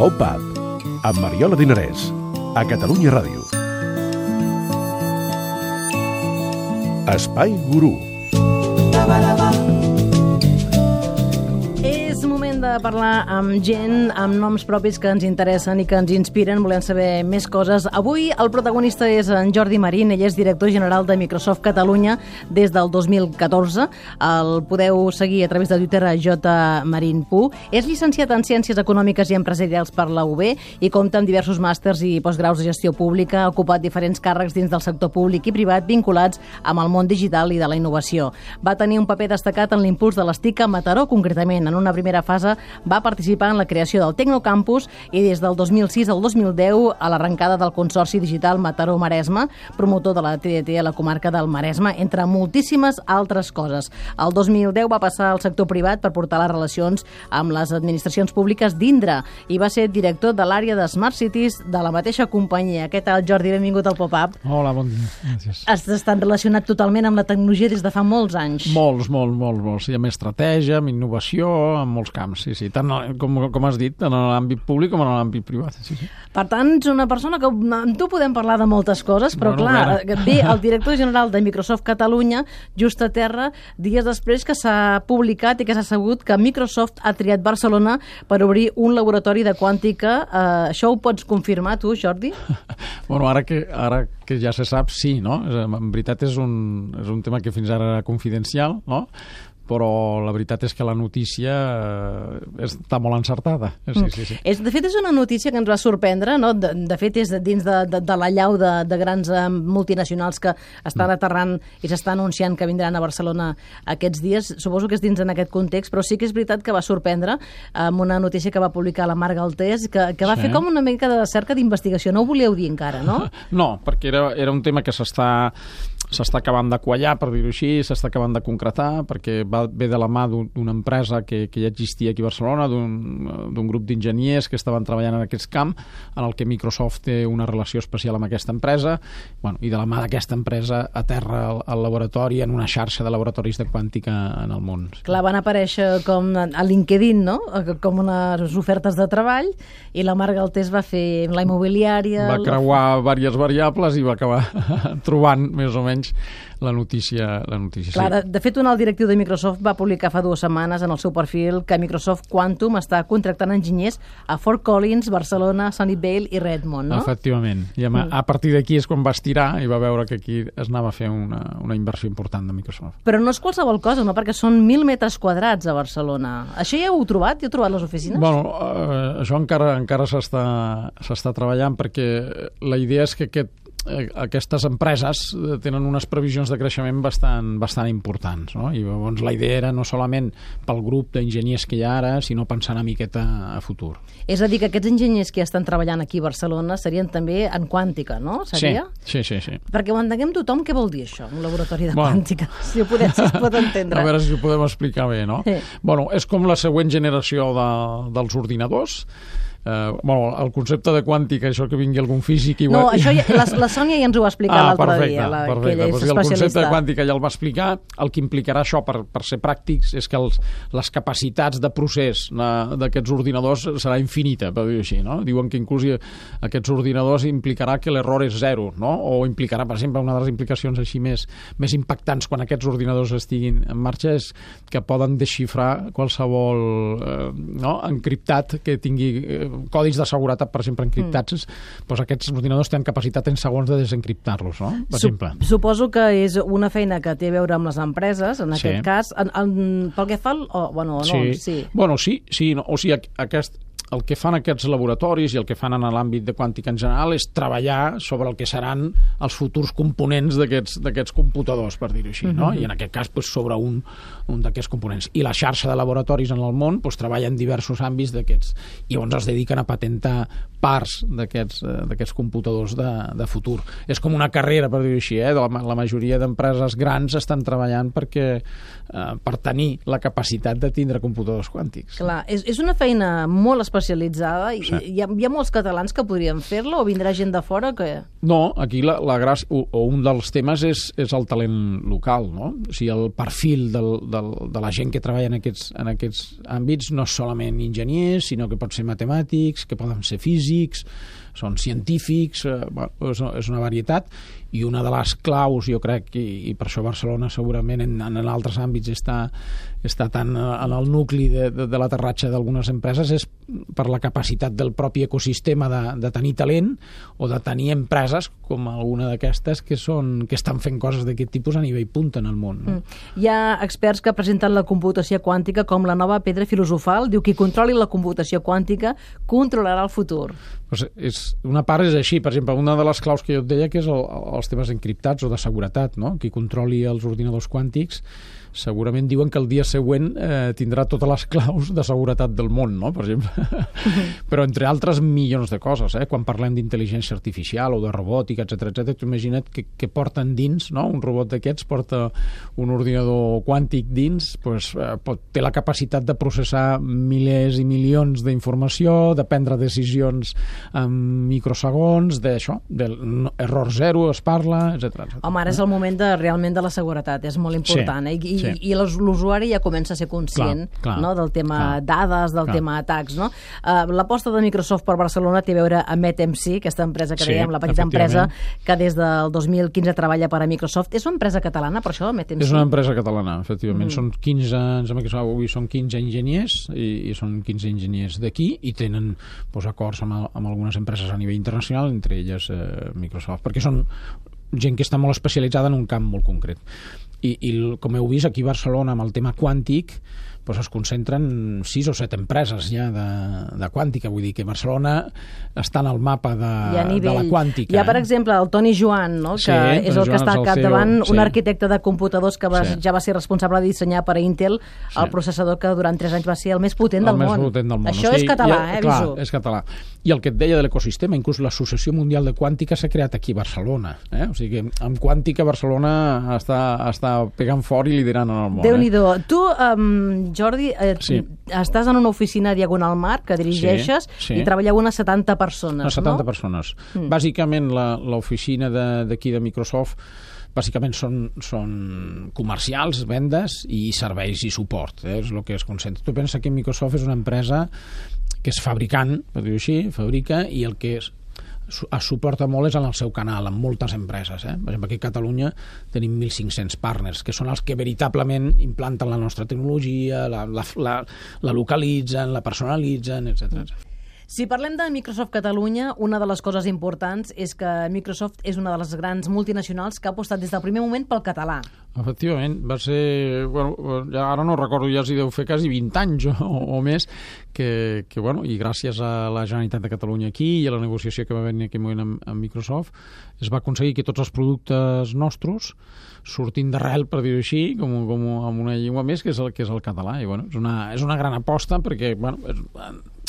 Pop-Up, amb Mariola Dinarès, a Catalunya Ràdio. Espai Gurú. És moment de parlar amb gent, amb noms propis que ens interessen i que ens inspiren, volem saber més coses. Avui el protagonista és en Jordi Marín, ell és director general de Microsoft Catalunya des del 2014. El podeu seguir a través de Twitter a jmarinpu. És llicenciat en Ciències Econòmiques i Empresarials per la UB i compta amb diversos màsters i postgraus de gestió pública, ha ocupat diferents càrrecs dins del sector públic i privat vinculats amb el món digital i de la innovació. Va tenir un paper destacat en l'impuls de les TIC a Mataró, concretament. En una primera fase va participar en la creació del Tecnocampus i des del 2006 al 2010 a l'arrencada del Consorci Digital Mataró-Maresme, promotor de la TDT a la comarca del Maresme, entre moltíssimes altres coses. El 2010 va passar al sector privat per portar les relacions amb les administracions públiques d'Indra i va ser director de l'àrea de Smart Cities de la mateixa companyia. Què tal, Jordi? Benvingut al Pop-Up. Hola, bon dia. Gràcies. Has estat relacionat totalment amb la tecnologia des de fa molts anys. Molts. I amb estratègia, amb innovació, en molts camps, sí. Tant com has dit, en l'àmbit públic com en l'àmbit privat. Sí. Per tant, ets una persona que amb tu podem parlar de moltes coses, però clar, ve el director general de Microsoft Catalunya just a terra, dies després que s'ha publicat i que s'ha sabut que Microsoft ha triat Barcelona per obrir un laboratori de quàntica. Això ho pots confirmar tu, Jordi? Bueno, ara que ja se sap, sí, no? En veritat és un tema que fins ara era confidencial, no? Però la veritat és que la notícia està molt encertada. Sí. De fet, és una notícia que ens va sorprendre, no? De fet, és dins de la llau de grans multinacionals que estan aterrant i s'estan anunciant que vindran a Barcelona aquests dies. Suposo que és dins en aquest context, però sí que és veritat que va sorprendre amb una notícia que va publicar la Marc Galtés, que va fer com una mica de cerca d'investigació. No ho volíeu dir encara, no? No, perquè era un tema que s'està acabant de quallar, per dir-ho així, s'està acabant de concretar, perquè ve de la mà d'una empresa que ja existia aquí a Barcelona, d'un grup d'enginyers que estaven treballant en aquest camp, en el que Microsoft té una relació especial amb aquesta empresa, i de la mà d'aquesta empresa aterra el laboratori en una xarxa de laboratoris de quàntica en el món. Clar, van aparèixer com a LinkedIn, no? Com unes ofertes de treball, i la Marc Galtés va fer la immobiliària... Va creuar diverses variables i va acabar trobant, més o menys, la notícia. Clar, de fet, un alt directiu de Microsoft va publicar fa 2 setmanes en el seu perfil que Microsoft Quantum està contractant enginyers a Fort Collins, Barcelona, Sunnyvale i Redmond, no? Efectivament. I a partir d'aquí és quan va estirar i va veure que aquí es anava a fer una inversió important de Microsoft. Però no és qualsevol cosa, no? Perquè són 1.000 metres quadrats a Barcelona. Això ja ho heu trobat? Ja heu trobat les oficines? Bueno, això encara s'està treballant, perquè la idea és que aquestes empreses tenen unes previsions de creixement bastant importants, no? I llavors la idea era no solament pel grup d'enginyers que hi ha ara, sinó pensar una miqueta a futur. És a dir, que aquests enginyers que ja estan treballant aquí a Barcelona serien també en quàntica, no? Seria? Sí. Perquè ho entenguem tothom, què vol dir això, un laboratori de quàntica? Si es pot entendre. A veure si ho podem explicar bé, no? Sí. És com la següent generació dels ordinadors. El concepte de quàntica, això que vingui algun físic... No, això la Sònia ja ens ho va explicar l'altre dia, que ella és especialista. El concepte de quàntica ja el va explicar. El que implicarà això, per ser pràctics, és que les capacitats de procés d'aquests ordinadors serà infinita, per dir-ho així, no? Diuen que inclús aquests ordinadors implicarà que l'error és zero, no? O implicarà, per exemple, una de les implicacions així més impactants quan aquests ordinadors estiguin en marxa és que poden desxifrar qualsevol encriptat que tingui codis de seguretat, per exemple, encriptats, doncs aquests ordinadors tenen capacitat en segons de desencriptar-los, no? Per exemple. Suposo que és una feina que té a veure amb les empreses, en aquest cas. Pel que fa sí. O sigui, el que fan aquests laboratoris i el que fan en l'àmbit de quàntica en general és treballar sobre el que seran els futurs components d'aquests computadors, per dir-ho així, no? I en aquest cas sobre un d'aquests components. I la xarxa de laboratoris en el món treballa en diversos àmbits d'aquests. I llavors es dediquen a patentar parts d'aquests computadors de futur. És com una carrera, per dir-ho així, la majoria d'empreses grans estan treballant per tenir la capacitat de tindre computadors quàntics. Clar, és una feina molt especial especialitzada. Sí. Hi ha molts catalans que podrien fer-la o vindrà gent de fora que... No, aquí la gràcia, o un dels temes és el talent local, no? O sigui, el perfil de la gent que treballa en aquests àmbits no és solament enginyers, sinó que pot ser matemàtics, que poden ser físics, són científics, és una varietat, i una de les claus, jo crec, i per això Barcelona segurament en altres àmbits està tan en el nucli de l'aterratge d'algunes empreses, és per la capacitat del propi ecosistema de tenir talent o de tenir empreses com alguna d'aquestes que estan fent coses d'aquest tipus a nivell punta en el món. No? Hi ha experts que presenten la computació quàntica com la nova pedra filosofal. Diu, qui controli la computació quàntica controlarà el futur. Pues una part és així. Per exemple, una de les claus que jo et deia que és els temes encriptats o de seguretat, no? Qui controli els ordinadors quàntics segurament diuen que el dia següent tindrà totes les claus de seguretat del món, no? Per exemple. Però entre altres milions de coses, quan parlem d'intel·ligència artificial o de robòtica, etc, tu imagina't que porten dins, no? Un robot d'aquests porta un ordinador quàntic dins, té la capacitat de processar milers i milions d'informació, de prendre decisions en microsegons, d'això, d'error zero es parla, etc. Home, ara és el moment realment de la seguretat, és molt important, i l'usuari ja comença a ser conscient no? Del tema dades, del tema atacs. No? L'aposta de Microsoft per Barcelona té a veure amb ETMC, aquesta empresa que dèiem, la petita empresa que des del 2015 treballa per a Microsoft. És una empresa catalana, per això, ETMC? És una empresa catalana, efectivament. Són 15 enginyers i són 15 enginyers d'aquí i tenen acords amb algunes empreses a nivell internacional, entre elles Microsoft, perquè són gent que està molt especialitzada en un camp molt concret. I com heu vist, aquí a Barcelona, amb el tema quàntic, es concentren 6 o 7 empreses ja de quàntica. Vull dir que Barcelona està en el mapa de la quàntica. Hi ha, per exemple, el Toni Joan, no? que és el que està al capdavant, un arquitecte de computadors que ja va ser responsable de dissenyar per a Intel el processador que durant 3 anys va ser el més potent del món. Això és català, clar, és català. I el que et deia de l'ecosistema, inclús l'Associació Mundial de Quàntica s'ha creat aquí a Barcelona. O sigui que amb quàntica Barcelona està pegant fort i liderant en el món. Déu-n'hi-do. Tu, Jordi, estàs en una oficina Diagonal Mar que dirigeixes i treballeu unes 70 persones, unes 70 persones. Bàsicament, l'oficina d'aquí de Microsoft bàsicament són comercials, vendes i serveis i suport. És el que es concentra. Tu pensa que Microsoft és una empresa que és fabricant, per dir-ho així, fabrica, i el que es suporta molt és en el seu canal, amb moltes empreses. Per exemple, aquí a Catalunya tenim 1.500 partners, que són els que veritablement implanten la nostra tecnologia, la localitzen, la personalitzen, etc. Si parlem de Microsoft Catalunya, una de les coses importants és que Microsoft és una de les grans multinacionals que ha apostat des del primer moment pel català. Efectivament, va ser... ara no recordo, ja s'hi deu fer quasi 20 anys o més, i gràcies a la Generalitat de Catalunya aquí i a la negociació que va haver en aquell moment amb Microsoft, es va aconseguir que tots els productes nostres sortint d'arrel, per dir-ho així, com amb una llengua més, que és el català. I és una gran aposta perquè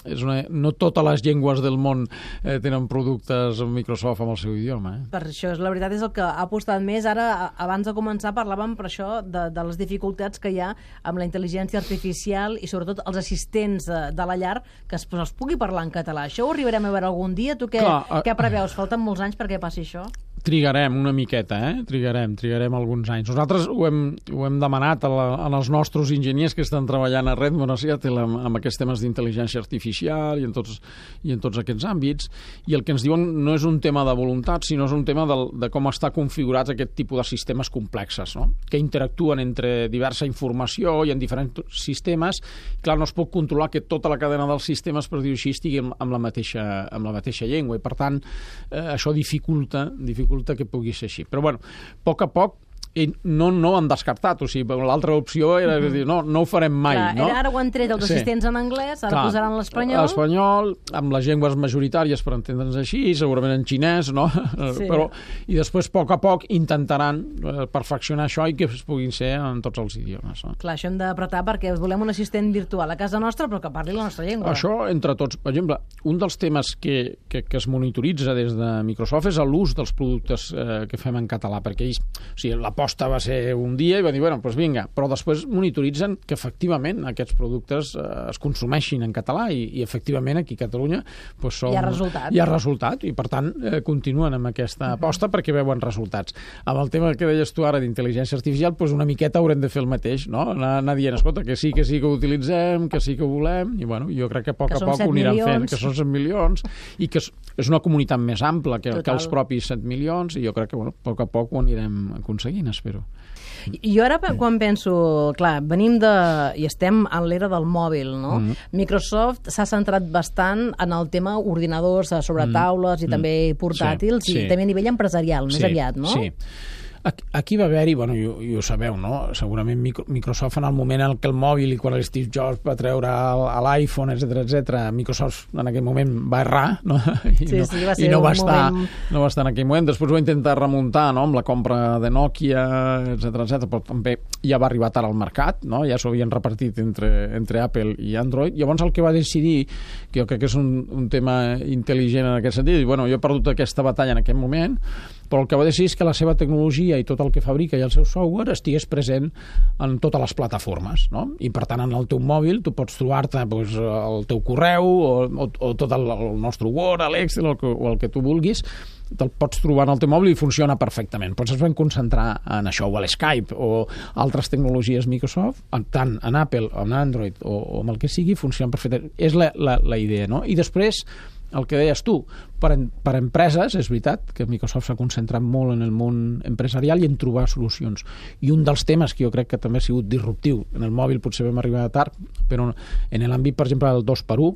no totes les llengües del món tenen productes Microsoft amb el seu idioma. Per això, la veritat és el que ha apostat més. Ara, abans de començar, parlàvem per això de les dificultats que hi ha amb la intel·ligència artificial i sobretot els assistents de la llar que es pugui parlar en català. Això ho arribarem a veure algun dia? Tu què preveus? Falten molts anys perquè passi això? Trigarem una miqueta, trigarem alguns anys. Nosaltres ho hem demanat als nostres enginyers que estan treballant a Redmond, a Seattle, amb aquests temes d'intel·ligència artificial i en tots aquests àmbits, i el que ens diuen no és un tema de voluntat, sinó és un tema de com està configurats aquest tipus de sistemes complexes, no? Que interactuen entre diversa informació i en diferents sistemes. Clar, no es pot controlar que tota la cadena dels sistemes, per dir-ho així, estigui amb la mateixa llengua, i per tant això dificulta que pugui ser així. Però, a poc a poc, no han descartat, o sigui, l'altra opció era dir, no ho farem mai. Clar, ara ho han tret els assistents en anglès, ara posaran l'espanyol. L'espanyol, amb les llengües majoritàries, per entendre'ns així, segurament en xinès, no? I després, a poc, intentaran perfeccionar això i que es puguin ser en tots els idiomes. Clar, això hem d'apretar perquè volem un assistent virtual a casa nostra, però que parli la nostra llengua. Això, entre tots. Per exemple, un dels temes que es monitoritza des de Microsoft és l'ús dels productes que fem en català, perquè la l'aposta va ser un dia i va dir, bueno, doncs vinga, però després monitoritzen que efectivament aquests productes es consumeixin en català i efectivament aquí a Catalunya doncs hi ha resultat i per tant continuen amb aquesta aposta perquè veuen resultats. Amb el tema que deies tu ara d'intel·ligència artificial, doncs una miqueta haurem de fer el mateix, no? Anar dient, escolta, que sí que ho utilitzem, que sí que ho volem, i bueno, jo crec que a poc a poc ho aniran fent, que són 7 milions, i que és una comunitat més ampla que els propis 7 milions, i jo crec que, bueno, a poc a poc ho anirem aconseguint, espero. Jo ara quan penso, clar, venim i estem en l'era del mòbil, no? Microsoft s'ha centrat bastant en el tema ordinadors sobre taules i també portàtils i també a nivell empresarial, més aviat, no? Sí. Aquí va haver-hi, bueno, i ho sabeu, no? Segurament Microsoft en el moment en què el mòbil i quan Steve Jobs va treure l'iPhone, etc, Microsoft en aquell moment va errar, no? I no va estar en aquell moment. Després va intentar remuntar, no?, amb la compra de Nokia, etc, però també ja va arribar tard al mercat, no? Ja s'ho havien repartit entre Apple i Android. Llavors el que va decidir, que jo crec que és un tema intel·ligent en aquest sentit, i bueno, jo he perdut aquesta batalla en aquest moment, però el que va decidir és que la seva tecnologia i tot el que fabrica i el seu software estigués present en totes les plataformes, no? I per tant en el teu mòbil tu pots trobar-te el teu correu o tot el nostre Word, l'Excel o el que tu vulguis, te'l pots trobar en el teu mòbil i funciona perfectament. Pots es van concentrar en això, o a l'Skype o altres tecnologies Microsoft, tant en Apple, en Android o amb el que sigui, funciona perfectament. És la idea, no? I després el que deies tu, per empreses, és veritat que Microsoft s'ha concentrat molt en el món empresarial i en trobar solucions. I un dels temes que jo crec que també ha sigut disruptiu, en el mòbil potser vam arribar tard, però en l'àmbit, per exemple, del 2x1,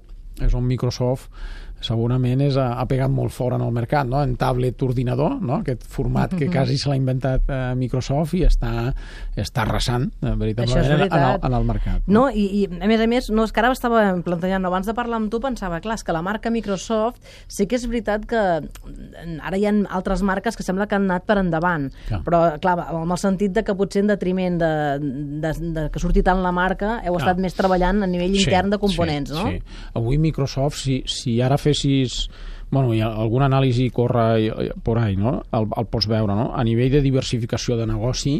és on Microsoft segurament ha pegat molt fort en el mercat, no? En tablet ordinador, no? Aquest format que quasi se l'ha inventat Microsoft i està arrasant veritablement en el mercat. No? I a més, no, és que ara estava plantejant, abans de parlar amb tu pensava, clar, és que la marca Microsoft sí que és veritat que ara hi ha altres marques que sembla que han anat per endavant, però clar, amb el sentit de que potser en detriment de que surti tant la marca heu estat més treballant a nivell intern de components, no? Sí. Avui Microsoft, si ara fessis, bueno, hi ha alguna anàlisi corre por ahí, no? El pots veure, no? A nivell de diversificació de negoci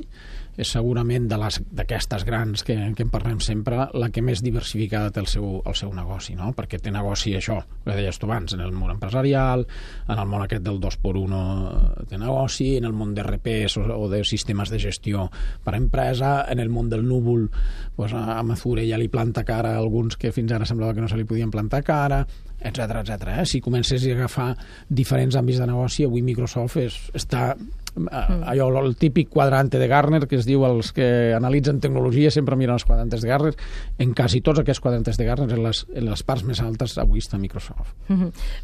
és segurament d'aquestes grans que en parlem sempre la que més diversificada té el seu negoci, no? Perquè té negoci això, que deies tu abans, en el món empresarial, en el món aquest del 2x1 té negoci, en el món d'RPs o de sistemes de gestió per a empresa, en el món del núvol, doncs a Mazure ja li planta cara a alguns que fins ara semblava que no se li podien plantar cara, etc. Si comencessis a agafar diferents àmbits de negoci, avui Microsoft està allò, el típic quadrante de Gartner que es diu els que analitzen tecnologia sempre miren els quadrantes de Gartner, en quasi tots aquests quadrantes de Gartner en les parts més altes avui està Microsoft.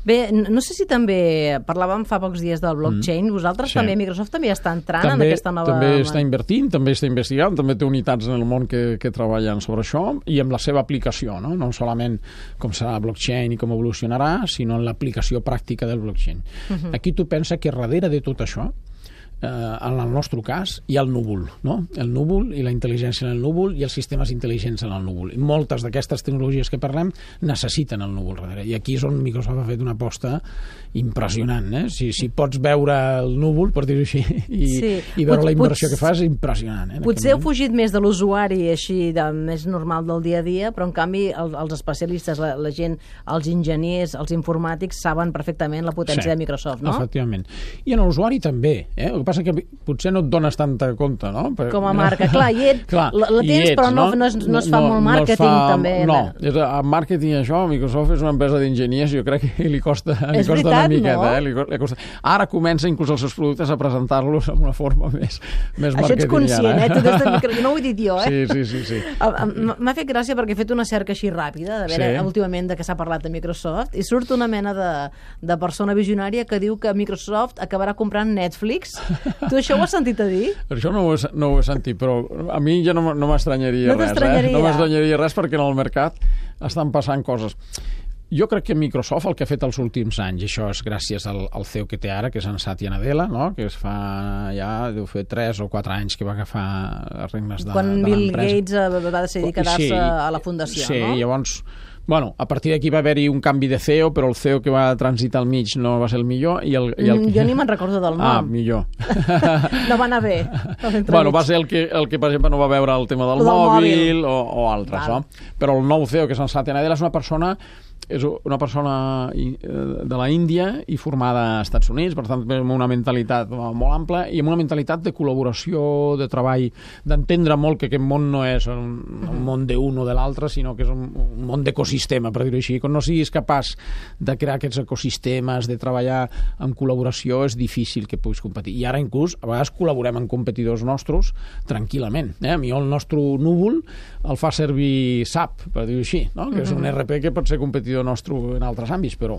Bé, no sé si també parlàvem fa pocs dies del blockchain, vosaltres també, Microsoft també està entrant en aquesta nova... També està invertint, també està investigant, també té unitats en el món que treballen sobre això i amb la seva aplicació, no solament com serà blockchain i com evolucionarà, sinó en l'aplicació pràctica del blockchain. Aquí tu pensa que darrere de tot això en el nostre cas hi ha el núvol, no? El núvol i la intel·ligència en el núvol i els sistemes intel·ligents en el núvol. I moltes d'aquestes tecnologies que parlem necessiten el núvol darrere. I aquí és on Microsoft ha fet una aposta impressionant, Si pots veure el núvol, per dir-ho així, i veure la inversió que fa és impressionant. Potser heu fugit més de l'usuari així, més normal del dia a dia, però en canvi els especialistes, la gent, els enginyers, els informàtics saben perfectament la potència de Microsoft, no? Efectivament. I en l'usuari també, El que passa que potser no et dones tanta compte, no? Com a marca, clar, la tens, però no es fa molt màrqueting, també. No, en màrqueting això, Microsoft és una empresa d'enginyers i jo crec que li costa una miqueta. Ara comença inclús els seus productes a presentar-los amb una forma més marketingiana. Això ets conscient, jo no ho he dit jo, Sí. M'ha fet gràcia perquè he fet una cerca així ràpida, de veure últimament de què s'ha parlat de Microsoft, i surt una mena de persona visionària que diu que Microsoft acabarà comprant Netflix. Tu això ho has sentit a dir? Això no ho he sentit, però a mi ja no m'estranyaria res. No m'estranyaria res perquè en el mercat estan passant coses. Jo crec que Microsoft el que ha fet els últims anys, i això és gràcies al CEO que té ara, que és en Satya Nadella, no? Que es fa ja, deu fer 3 o 4 anys que va agafar les regnes de l'empresa. Quan Bill Gates va decidir quedar-se a la fundació, no? Sí, llavors Bueno, a partir d'aquí va haver-hi un canvi de CEO, però el CEO que va transitar al mig no va ser el millor. Jo ni me'n recordo del nom. Ah, millor. No va anar bé. Bueno, va ser el que, per exemple, no va veure el tema del mòbil o altres, no? Però el nou CEO, que és en Satya Nadella, és una persona de la Índia i formada als Estats Units, per tant, amb una mentalitat molt ampla i amb una mentalitat de col·laboració, de treball, d'entendre molt que aquest món no és un món d'un o de l'altre, sinó que és un món d'ecosistema, per dir-ho així. Quan no siguis capaç de crear aquests ecosistemes, de treballar en col·laboració, és difícil que puguis competir. I ara, inclús, a vegades col·laborem amb competidors nostres tranquil·lament. A mi el nostre núvol el fa servir SAP, per dir-ho així, no? Que és un ERP que pot ser competidor nostre en altres àmbits, però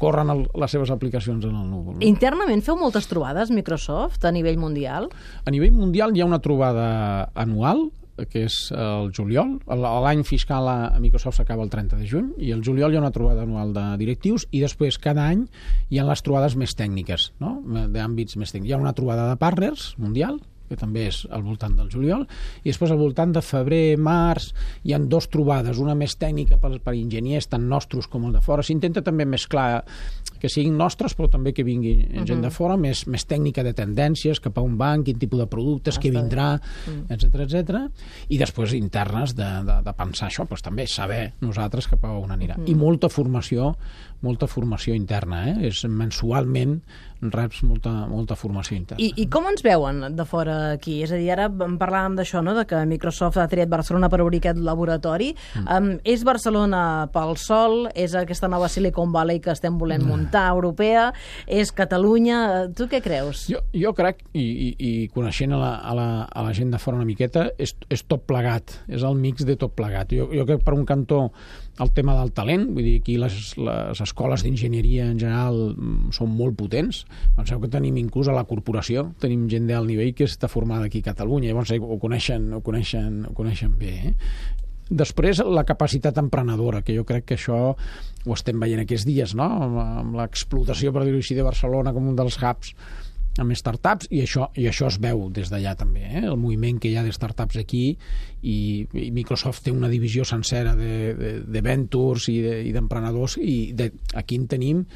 corren les seves aplicacions en el núvol. Internament feu moltes trobades, Microsoft, a nivell mundial? A nivell mundial hi ha una trobada anual, que és el juliol. L'any fiscal a Microsoft s'acaba el 30 de juny i el juliol hi ha una trobada anual de directius i després cada any hi ha les trobades més tècniques, no? D'àmbits més tècnics. Hi ha una trobada de partners mundial, que també és al voltant del juliol, i després al voltant de febrer, març, hi ha 2 trobades, una més tècnica per enginyers, tant nostres com el de fora. S'intenta també mesclar que siguin nostres, però també que vingui gent de fora, més tècnica de tendències, cap a un banc, quin tipus de productes, què vindrà, etc. I després internes de pensar això, doncs també saber nosaltres cap a on anirà. I molta formació interna, és mensualment reps molta formació interna. I com ens veuen de fora aquí? És a dir, ara parlàvem d'això, no?, de que Microsoft ha triat Barcelona per obrir aquest laboratori. És Barcelona pel sol? És aquesta nova Silicon Valley que estem volent muntar, europea? És Catalunya? Tu què creus? Jo crec, i coneixent a la gent de fora una miqueta, és tot plegat, és el mix de tot plegat. Jo crec, per un cantó, el tema del talent, vull dir, aquí les escoles d'enginyeria en general són molt potents. Penseu que tenim inclús a la corporació, tenim gent d'alt nivell que està formada aquí a Catalunya, llavors ho coneixen bé. Després, la capacitat emprenedora, que jo crec que això ho estem veient aquests dies, no? Amb l'explotació, per dir-ho així, de Barcelona com un dels hubs amb startups, i això es veu des d'allà també, el moviment que hi ha de startups aquí, i Microsoft té una divisió sencera de ventures i d'emprenedors, i aquí en tenim,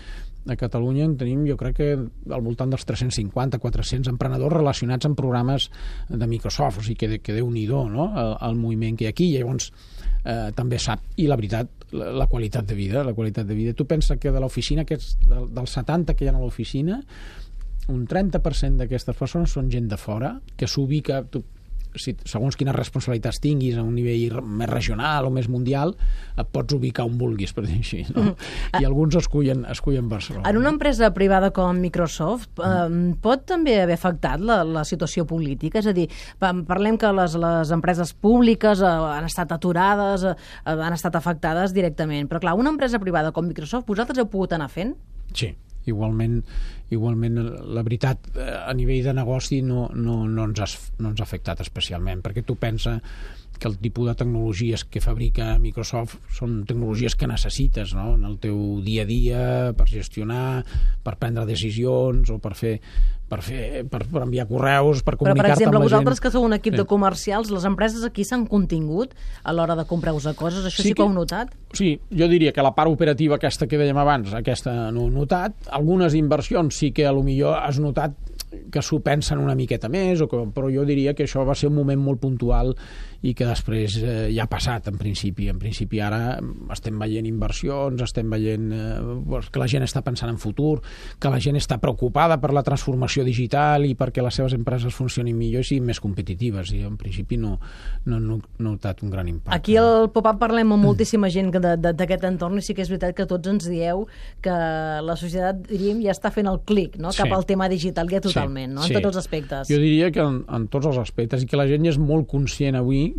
a Catalunya en tenim, jo crec que al voltant dels 350-400 emprenedors relacionats amb programes de Microsoft, o sigui que Déu-n'hi-do, no?, el moviment que hi ha aquí. Llavors també sap, i la veritat, la qualitat de vida. Tu penses que de l'oficina, dels 70 que hi ha a l'oficina, un 30% d'aquestes persones són gent de fora, que s'ubica, segons quines responsabilitats tinguis a un nivell més regional o més mundial, et pots ubicar on vulguis, per dir així, no? I alguns escullen Barcelona. En una empresa privada com Microsoft pot també haver afectat la situació política? És a dir, parlem que les empreses públiques han estat aturades, han estat afectades directament, però clar, una empresa privada com Microsoft, vosaltres heu pogut anar fent? Sí. Igualment, la veritat, a nivell de negoci no ens ha afectat especialment, perquè tu pensa que el tipus de tecnologies que fabrica Microsoft són tecnologies que necessites, no?, en el teu dia a dia, per gestionar, per prendre decisions o per enviar correus, per comunicar-te amb la gent. Però, per exemple, vosaltres que sou un equip de comercials, les empreses aquí s'han contingut a l'hora de comprar-vos coses? Això sí que ho heu notat? Sí, jo diria que la part operativa aquesta que dèiem abans, aquesta no ho he notat. Algunes inversions sí que potser has notat que s'ho pensen una miqueta més, però jo diria que això va ser un moment molt puntual i que després ja ha passat, en principi. En principi ara estem veient inversions, estem veient que la gent està pensant en futur, que la gent està preocupada per la transformació digital i perquè les seves empreses funcionin millor i siguin més competitives, i en principi no he notat un gran impacte. Aquí al Pop-Up parlem amb moltíssima gent d'aquest entorn, i sí que és veritat que tots ens dieu que la societat, diríem, ja està fent el clic, no?, cap al tema digital, ja totalment, no?, en tots els aspectes. Jo diria que en tots els aspectes, i que la gent ja és molt conscient avui,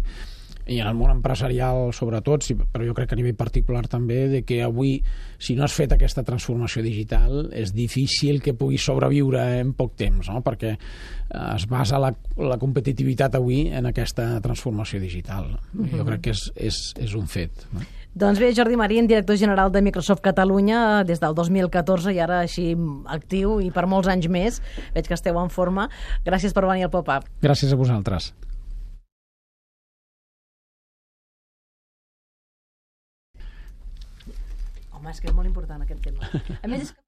i en el món empresarial sobretot, però jo crec que a nivell particular també, de que avui, si no has fet aquesta transformació digital, és difícil que puguis sobreviure en poc temps, no?, perquè es basa la competitivitat avui en aquesta transformació digital. Jo crec que és un fet, no? Doncs bé, Jordi Marín, director general de Microsoft Catalunya des del 2014 i ara així actiu i per molts anys més. Veig que esteu en forma. Gràcies per venir al Pop-Up. Gràcies a vosaltres. Home, és que és molt important aquest tema. A més, és que